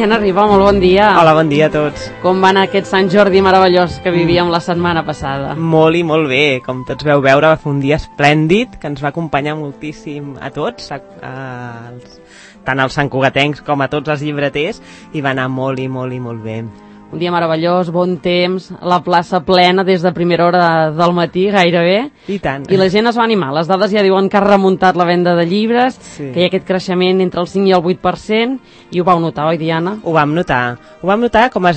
Diana Riba, molt bon dia. Hola, bon dia a tots. Com va anar aquest Sant Jordi meravellós que vivíem la setmana passada? Molt i molt bé, com tots veu veure, va fer un dia esplèndid que ens va acompanyar moltíssim a tots, tant als santcugatencs com a tots els llibreters, i va anar molt i molt i molt bé. Un dia meravellós, bon temps, la plaça plena des de primera hora del matí, gairebé. I tant. I la gent es va animar. Les dades ja diuen que ha remuntat la venda de llibres, sí, que hi ha aquest creixement entre el 5 i el 8%, i ho vau notar, oi, Diana? Ho vam notar, com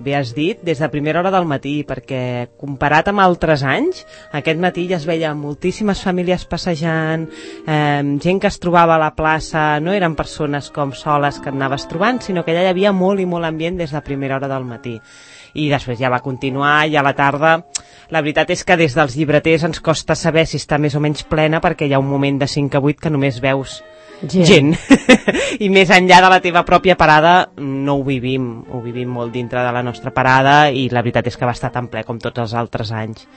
bé has dit, des de primera hora del matí, perquè comparat amb altres anys, aquest matí ja es veia moltíssimes famílies passejant, gent que es trobava a la plaça, no eren persones com soles que et anaves trobant, sinó que ja hi havia molt i molt ambient des de primera hora del matí. I després ja va continuar, i a la tarda la veritat és que des dels llibreters ens costa saber si està més o menys plena, perquè hi ha un moment de 5 a 8 que només veus gent. I més enllà de la teva pròpia parada no ho vivim molt dintre de la nostra parada, i la veritat és que va estar tan ple com tots els altres anys.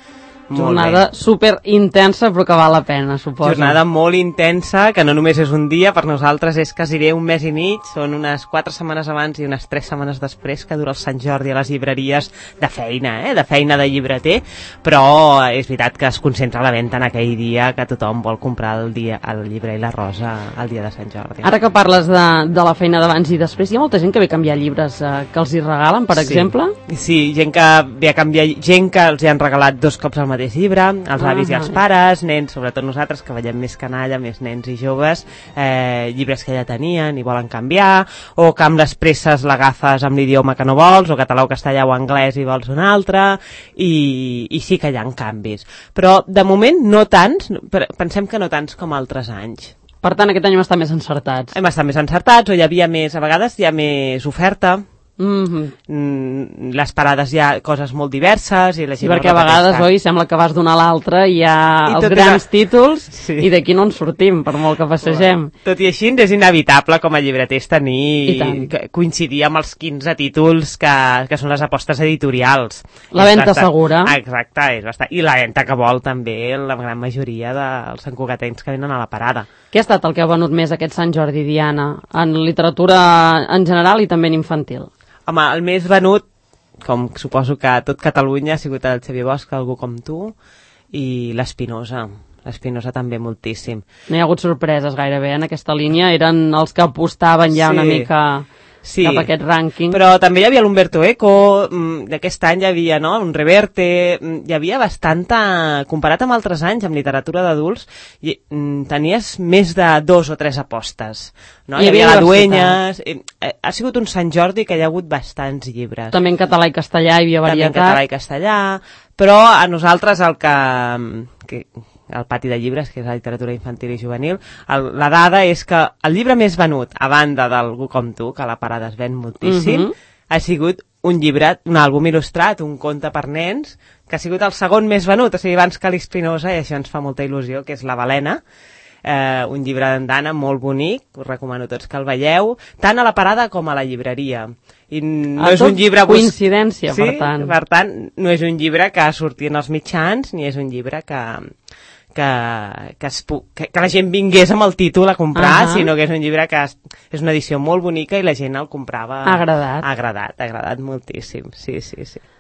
Jornada super intensa, però que val la pena, suposo. Jornada molt intensa, que no només és un dia, per nosaltres és quasi un mes i mig, són unes 4 setmanes abans i unes 3 setmanes després que dura el Sant Jordi a les llibreries de feina, de feina de llibreter, però és veritat que es concentra la venda en aquell dia que tothom vol comprar el llibre i la rosa el dia de Sant Jordi. Ara que parles de la feina d'abans i després, hi ha molta gent que ve a canviar llibres que els hi regalen, per exemple? Sí, gent que ve a canviar, gent que els hi han regalat 2 cops al mateix llibre, els avis i els pares, nens, sobretot nosaltres que veiem més canalla, més nens i joves, llibres que ja tenien i volen canviar, o que amb les presses l'agafes amb l'idioma que no vols, o català o castellà o anglès i vols un altre, i sí que hi ha canvis. Però de moment no tants, pensem que no tants com altres anys. Per tant, aquest any hem estat més encertats. Hem estat més encertats, o hi havia més, a vegades hi ha més oferta. Les parades hi ha coses molt diverses i la gent perquè a vegades, oi, sembla que vas d'una a l'altra i hi ha els grans títols i d'aquí no en sortim, per molt que passegem. Tot i així és inevitable com a llibreters coincidir amb els 15 títols que són les apostes editorials. La venda segura. Exacte, és bastant. I la venda que vol també la gran majoria dels santcugatencs que venen a la parada. Què ha estat el que ha venut més aquest Sant Jordi, Diana, en literatura en general i també en infantil? Home, el més venut, com suposo que a tot Catalunya, ha sigut el Xavier Bosch, Algú com tu, i l'Espinosa. L'Espinosa també moltíssim. No hi ha hagut sorpreses gairebé en aquesta línia, eren els que apostaven ja una mica cap a aquest rànquing. Però també hi havia l'Umberto Eco, d'aquest any hi havia un Reverte, hi havia bastanta, comparat amb altres anys, amb literatura d'adults, tenies més de 2 o 3 apostes. Hi havia la Dueñas, ha sigut un Sant Jordi que hi ha hagut bastants llibres. També en català i castellà hi havia varietat. També en català i castellà, però a nosaltres el pati de llibres, que és la literatura infantil i juvenil, la dada és que el llibre més venut, a banda d'Algú com tu, que a la parada es ven moltíssim, ha sigut un llibre, un àlbum il·lustrat, un conte per nens, que ha sigut el segon més venut, o sigui, abans que l'Espinosa, i això ens fa molta il·lusió, que és La Balena, un llibre d'andana molt bonic, us recomano tots que el veieu, tant a la parada com a la llibreria. I no és un llibre coincidència, per tant. Per tant, no és un llibre que surti en els mitjans, ni és un llibre que la gent vingués amb el títol a comprar, sinó que és un llibre que és una edició molt bonica i la gent el comprava. Ha agradat. Ha agradat moltíssim, sí.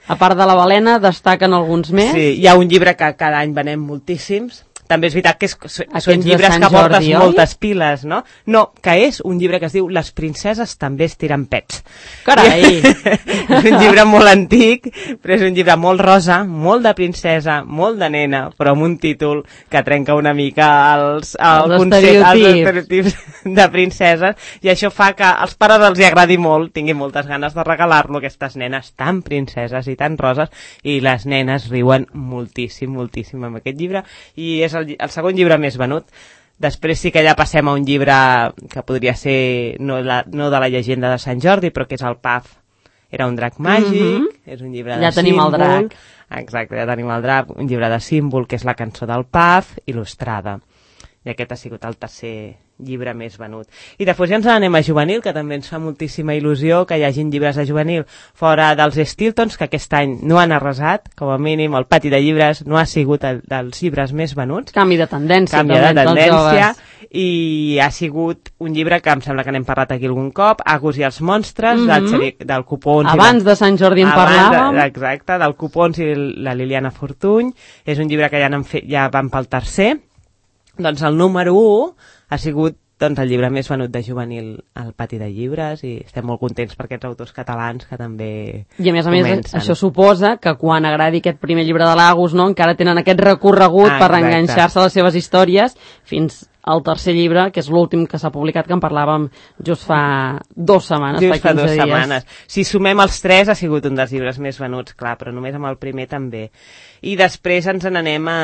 A part de La Balena, destaquen alguns més? Sí, hi ha un llibre que cada any venem moltíssims. També és veritat que són llibres que portes moltes piles, no? No, que és un llibre que es diu Les princeses també es tiren pets. Carai! És un llibre molt antic, però és un llibre molt rosa, molt de princesa, molt de nena, però amb un títol que trenca una mica els estereotips de princeses, i això fa que als pares els agradi molt, tinguin moltes ganes de regalar-lo, aquestes nenes tan princeses i tan roses, i les nenes riuen moltíssim amb aquest llibre, i és el segon llibre més venut. Després sí que ja passem a un llibre que podria ser no de la llegenda de Sant Jordi, però que és el Paf era un drac màgic, és un llibre de símbol. Ja tenim el drac. Exacte, ja tenim el drac, un llibre de símbol que és la cançó del Paf, il·lustrada. I aquest ha sigut el tercer llibre més venut. I després ja ens anem a juvenil, que també ens fa moltíssima il·lusió que hi hagin llibres de juvenil fora dels Stiltons, que aquest any no han arrasat, com a mínim el pati de llibres no ha sigut dels llibres més venuts. Canvi de tendència. i ha sigut un llibre que em sembla que n'hem parlat aquí algun cop, Agus i els monstres, del Copons. Abans de Sant Jordi en parlàvem. Exacte, del Copons i la Liliana Fortuny. És un llibre que ja van pel tercer. Doncs el número 1 ha sigut el llibre més venut de juvenil al Pati de Llibres i estem molt contents per aquests autors catalans que també I a més, això suposa que quan agradi aquest primer llibre de l'Agus, no, encara tenen aquest recorregut per enganxar-se a les seves històries fins al tercer llibre, que és l'últim que s'ha publicat, que en parlàvem just fa 2 setmanes, just fa 2 setmanes. Si sumem els 3 ha sigut un dels llibres més venuts, clar, però només amb el primer també. I després ens n'anem a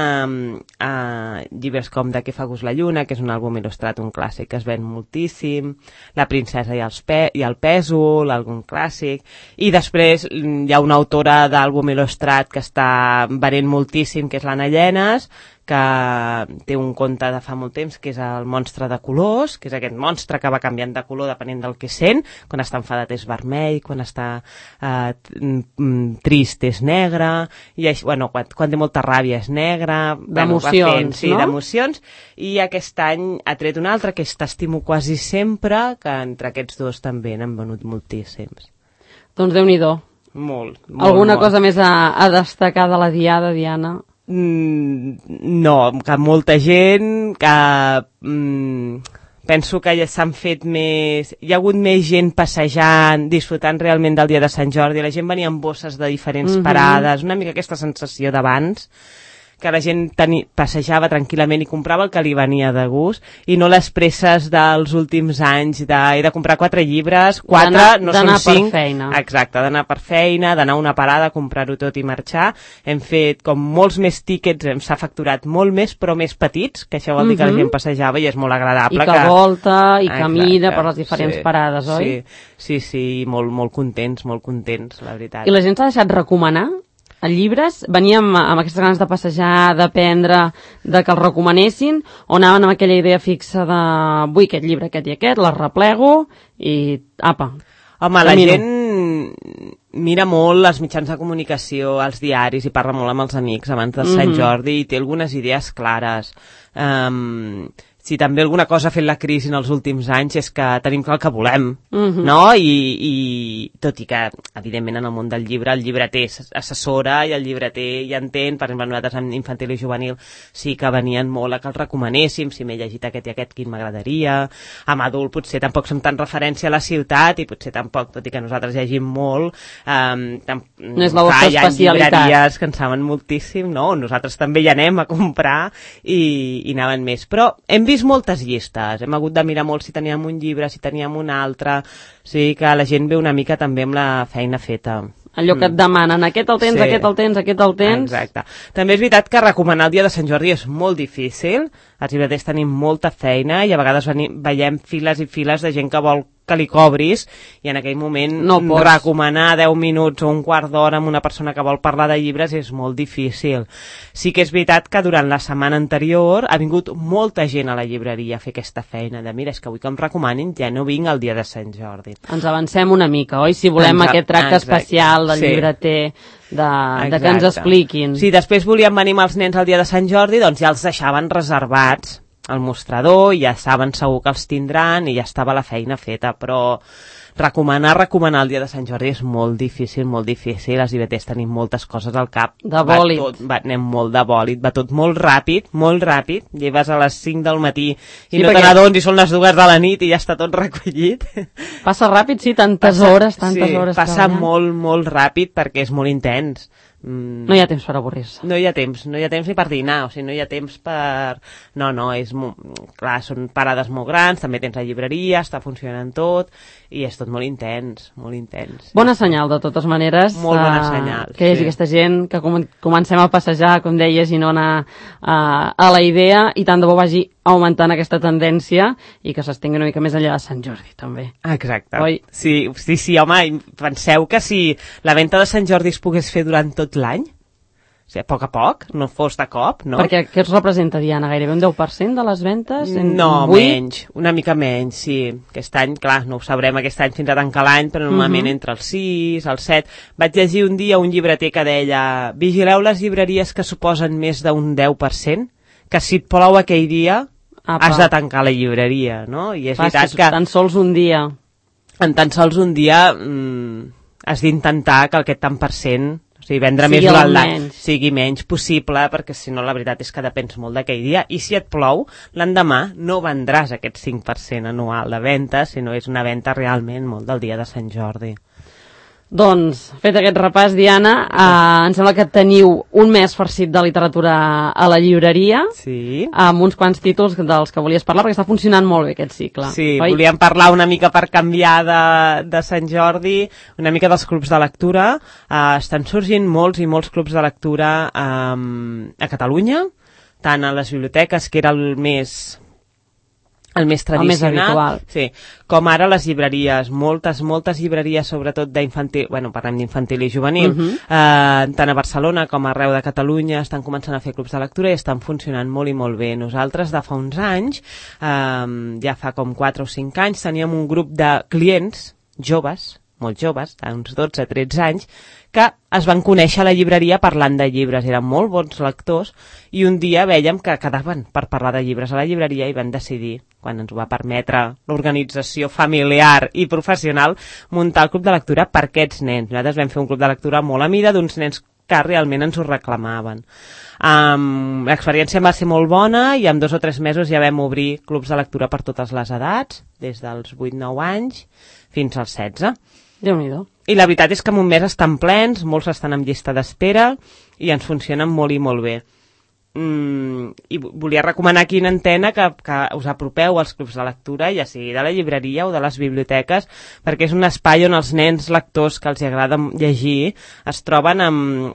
llibres com De què fa gust la lluna, que és un àlbum il·lustrat, un clàssic que es ven moltíssim, La princesa i el pèsol, algun clàssic, i després hi ha una autora d'àlbum il·lustrat que està venent moltíssim, que és l'Anna Llenes, que té un conte de fa molt temps, que és el monstre de colors, que és aquest monstre que va canviant de color depenent del que sent. Quan està enfadat és vermell, quan està trist és negre, i bueno, quan té molta ràbia és negre. D'emocions, sí, no? D'emocions. I aquest any ha tret un altre, que és T'estimo quasi sempre, que entre aquests dos també n'han venut moltíssims. Doncs Déu-n'hi-do. Molt. Alguna cosa més a destacar de la Diada, Diana? No, que molta gent, que penso que ja s'han fet més, hi ha hagut més gent passejant, disfrutant realment del dia de Sant Jordi, la gent venia amb bosses de diferents parades, una mica aquesta sensació d'abans, que la gent passejava tranquil·lament i comprava el que li venia de gust, i no les presses dels últims anys he de comprar 4 llibres, 4, no són 5. D'anar per feina. Exacte, d'anar per feina, d'anar a una parada, comprar-ho tot i marxar. Hem fet com molts més tíquets, s'ha facturat molt més, però més petits, que això vol dir que la gent passejava i és molt agradable. I que volta, i camina per les diferents parades, oi? Sí, molt contents, la veritat. I la gent s'ha deixat recomanar? A llibres, veníem amb aquestes ganes de passejar, d'aprendre, de que els recomanessin, o anaven amb aquella idea fixa de vull aquest llibre, aquest i aquest, les replego i apa. Home, la gent mira molt els mitjans de comunicació, els diaris, i parla molt amb els amics abans de Sant Jordi, i té algunes idees clares. Si també alguna cosa ha fet la crisi en els últims anys és que tenim clar el que volem, no? I tot i que, evidentment, en el món del llibre, el llibreter assessora i el llibreter ja entén. Per exemple, nosaltres en infantil i juvenil sí que venien molt a que els recomanéssim, si m'he llegit aquest i aquest, quin m'agradaria. Amb adult potser tampoc som tan referència a la ciutat i potser tampoc, tot i que nosaltres llegim molt, no és la vostra especialitat. Hi ha llibreries que en saben moltíssim, no? Nosaltres també hi anem a comprar i anaven més. Però hem vist moltes llistes, hem hagut de mirar molt si teníem un llibre, si teníem un altre, sí que la gent ve una mica també amb la feina feta. Allò que et demanen, aquest el tens, aquest el tens, aquest el tens... Exacte. També és veritat que recomanar el dia de Sant Jordi és molt difícil, els llibreters tenim molta feina i a vegades veiem files i files de gent que vol que li cobris, i en aquell moment recomanar 10 minuts o un quart d'hora amb una persona que vol parlar de llibres és molt difícil. Sí que és veritat que durant la setmana anterior ha vingut molta gent a la llibreria a fer aquesta feina de mira, és que vull que em recomanin, ja no vinc el dia de Sant Jordi. Ens avancem una mica, oi? Si volem aquest tracte especial del llibreter, de que ens expliquin. Si després volíem venir amb els nens el dia de Sant Jordi, doncs ja els deixaven reservats al mostrador, i ja saben segur que els tindran i ja estava la feina feta, però recomanar el dia de Sant Jordi és molt difícil, els llibreters tenim moltes coses al cap. De bòlit. Anem molt de bòlit, va tot molt ràpid, lleves a les 5 del matí i no te n'adones i són les 2 de la nit i ja està tot recollit. Passa ràpid, sí, tantes hores. Passa molt ràpid perquè és molt intens. No hi ha temps per avorrir-se. No hi ha temps ni per dinar, o sigui, no hi ha temps per... No, és... Clar, són parades molt grans, també tens la llibreria, està funcionant tot, i és tot molt intens. Bona senyal, de totes maneres. Molt bona senyal. Que hi hagi aquesta gent, que comencem a passejar, com deies, i no anar a la idea, i tant de bo vagi augmentant aquesta tendència i que s'estengui una mica més enllà de Sant Jordi, també. Exacte. Oi? Sí, home, penseu que si la venda de Sant Jordi es pogués fer durant tot l'any, o sigui, a poc, no fos de cop, no? Perquè què es representa, Diana? Gairebé un 10% de les ventes? No, menys, una mica menys, sí. Aquest any, clar, no ho sabrem aquest any fins a tancar l'any, però normalment entre el 6, el 7... Vaig llegir un dia un llibreter que deia: vigileu les llibreries que suposen més d'un 10%, que si et plou aquell dia... has de tancar la llibreria, no? I és veritat que... Tan sols un dia. En tan sols un dia has d'intentar que aquest tant per cent, o sigui, vendre més durant l'any, sigui menys possible, perquè si no la veritat és que depens molt d'aquell dia. I si et plou, l'endemà no vendràs aquest 5% anual de venda, sinó és una venda realment molt del dia de Sant Jordi. Doncs, fet aquest repàs, Diana, em sembla que teniu un mes farcit de literatura a la llibreria, amb uns quants títols dels que volies parlar, perquè està funcionant molt bé aquest cicle. Sí, volíem parlar una mica per canviar de Sant Jordi, una mica dels clubs de lectura. Estan sorgint molts i molts clubs de lectura a Catalunya, tant a les biblioteques, que era el més tradicional, el més habitual. Sí, com ara les llibreries, moltes llibreries, sobretot d'infantil, parlem d'infantil i juvenil, tant a Barcelona com arreu de Catalunya estan començant a fer clubs de lectura i estan funcionant molt i molt bé. Nosaltres, de fa uns anys, ja fa com 4 o 5 anys, teníem un grup de clients joves, molt joves, uns 12-13 anys, que es van conèixer a la llibreria parlant de llibres, eren molt bons lectors, i un dia vèiem que quedaven per parlar de llibres a la llibreria i van decidir, quan ens ho va permetre l'organització familiar i professional, muntar el club de lectura per aquests nens. Nosaltres vam fer un club de lectura molt a mida d'uns nens que realment ens ho reclamaven. L'experiència va ser molt bona i en 2 o 3 mesos ja vam obrir clubs de lectura per totes les edats, des dels 8-9 anys fins als 16. Déu-n'hi-do. I la veritat és que en un mes estan plens, molts estan en llista d'espera i ens funcionen molt i molt bé. I volia recomanar aquí en antena que us apropeu als clubs de lectura, ja sigui de la llibreria o de les biblioteques, perquè és un espai on els nens lectors que els agrada llegir es troben amb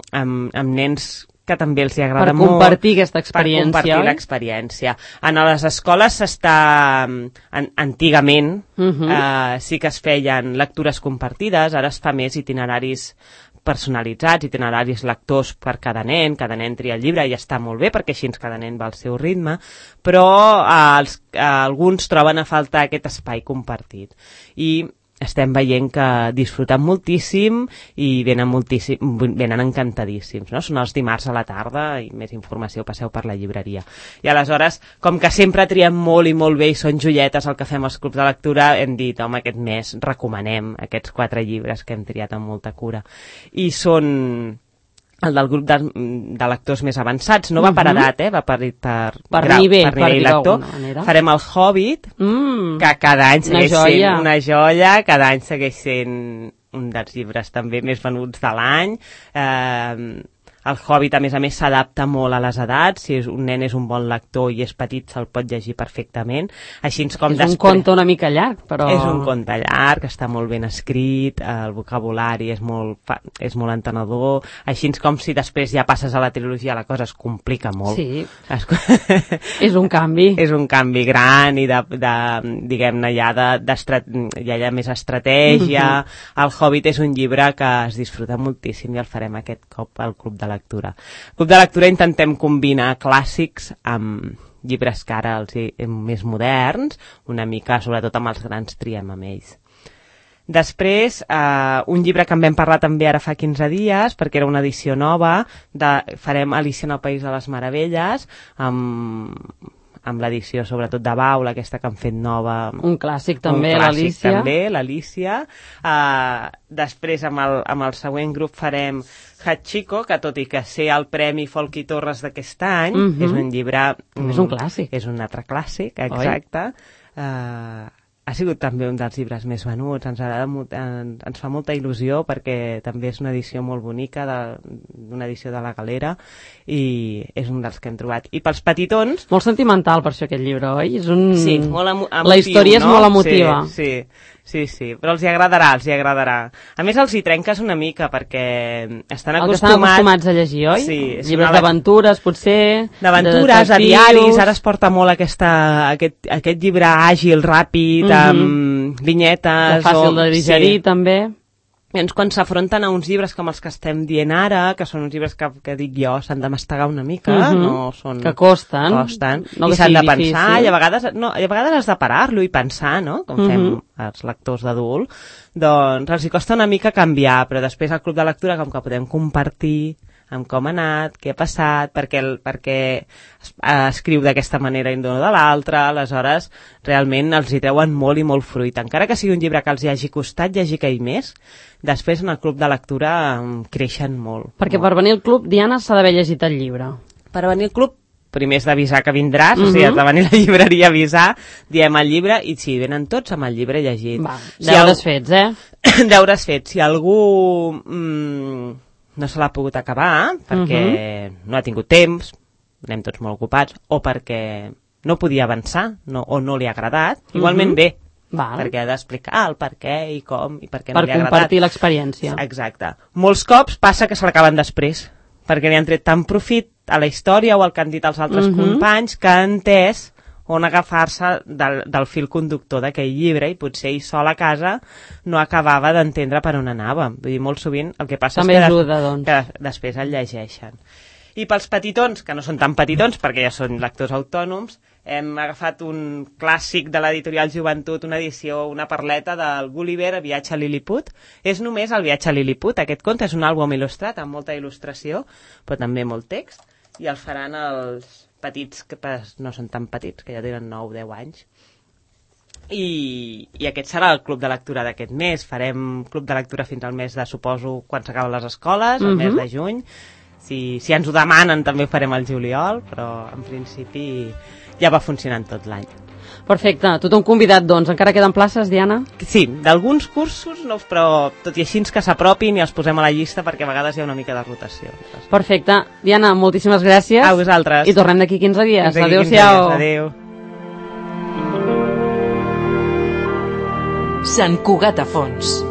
nens que també els agrada molt. Per compartir aquesta experiència. Per compartir l'experiència. En les escoles antigament sí que es feien lectures compartides, ara es fa més itineraris personalitzats, itineraris lectors per cada nen tria el llibre i està molt bé perquè així cada nen va al seu ritme, però alguns troben a faltar aquest espai compartit. I estem veient que disfruten moltíssim i venen encantadíssims, no? Són els dimarts a la tarda i més informació passeu per la llibreria. I aleshores, com que sempre triem molt i molt bé i són joietes el que fem als clubs de lectura, hem dit, home, aquest mes recomanem aquests 4 llibres que hem triat amb molta cura. I són el del grup de lectors més avançats, no va per edat, va per nivell lector. Farem el Hobbit, que cada any segueix sent una joia, cada any segueix sent un dels llibres també més venuts de l'any. El Hobbit, a més, s'adapta molt a les edats. Si un nen és un bon lector i és petit, se'l pot llegir perfectament. Així com és un conte una mica llarg, però... És un conte llarg, està molt ben escrit, el vocabulari és molt entenedor. Així com si després ja passes a la trilogia, la cosa es complica molt. Sí, és un canvi. És un canvi gran i diguem-ne, ja hi ha més estratègia. El Hobbit és un llibre que es disfruta moltíssim i el farem aquest cop al Club de Lectura. Club de Lectura intentem combinar clàssics amb llibres que ara més moderns, una mica, sobretot amb els grans triem amb ells. Després, un llibre que en vam parlar també ara fa 15 dies, perquè era una edició nova, farem Alicia en el País de les Meravelles, amb l'edició sobretot de Baula, aquesta que han fet nova. Un clàssic també, l'Alicia. Després, amb el següent grup farem Hachiko, que tot i que sé el Premi Folch i Torres d'aquest any, és un llibre... És un clàssic. És un altre clàssic, exacte. Ha sigut també un dels llibres més venuts, ens fa molta il·lusió perquè també és una edició molt bonica, una edició de la Galera, i és un dels que hem trobat. I pels petitons... Molt sentimental per això aquest llibre, oi? Sí, molt emotiu, la història és molt emotiva. Sí, però els hi agradarà. A més, els hi trenques una mica perquè estan acostumats a llegir, oi? Sí. Llibres d'aventures, potser... D'aventures, a diaris, ara es porta molt aquest llibre àgil, ràpid, amb vinyetes... Fàcil de digerir, també. Llavors, quan s'afronten a uns llibres com els que estem dient ara, que són uns llibres que dic jo, s'han de mastegar una mica, no són... Que costen. No, i s'han de pensar, i a vegades has de parar-lo i pensar, no? Com fem els lectors d'adult. Doncs els hi costa una mica canviar, però després al club de lectura, com que podem compartir amb com ha anat, què ha passat, perquè escriu d'aquesta manera i no de l'altra, aleshores realment els hi treuen molt i molt fruit. Encara que sigui un llibre que els hi hagi costat llegir aquell mes, després en el club de lectura creixen molt. Perquè per venir al club, Diana, s'ha d'haver llegit el llibre. Per venir al club, primer és d'avisar que vindràs, o sigui, has de venir a la llibreria a avisar, diem el llibre, i sí, venen tots amb el llibre llegit. Va, deures fets, Deures fets. Si algú no se l'ha pogut acabar, perquè no ha tingut temps, anem tots molt ocupats, o perquè no podia avançar, o no li ha agradat, igualment bé, perquè ha d'explicar el per què i com, i per què no li ha agradat. Per compartir l'experiència. Exacte. Molts cops passa que se l'acaben després, perquè li han tret tant profit a la història o al que han dit els altres companys que han entès on agafar-se del fil conductor d'aquell llibre i potser ell sol a casa no acabava d'entendre per on anava. Vull dir, molt sovint el que passa també és ajuda, doncs, que després el llegeixen. I pels petitons, que no són tan petitons perquè ja són lectors autònoms, hem agafat un clàssic de l'editorial Joventut, una edició, una parleta del Gulliver, Viatge a Lilliput. És només el Viatge a Lilliput. Aquest conte és un àlbum il·lustrat amb molta il·lustració, però també molt text, i el faran els petits, que no són tan petits, que ja tenen 9-10 anys. I aquest serà el club de lectura d'aquest mes. Farem club de lectura fins al mes de, suposo, quan s'acaben les escoles, el mes de juny. Si ens ho demanen també ho farem al juliol, però en principi ja va funcionant tot l'any. Perfecte, tothom convidat, doncs. Encara queden places, Diana? Sí, d'alguns cursos, no, però tot i així que s'apropin i els posem a la llista perquè a vegades hi ha una mica de rotació. Perfecte. Diana, moltíssimes gràcies. A vosaltres. I tornem d'aquí 15 dies. Adéu-siau. Adéu. Sant Cugat a Fons.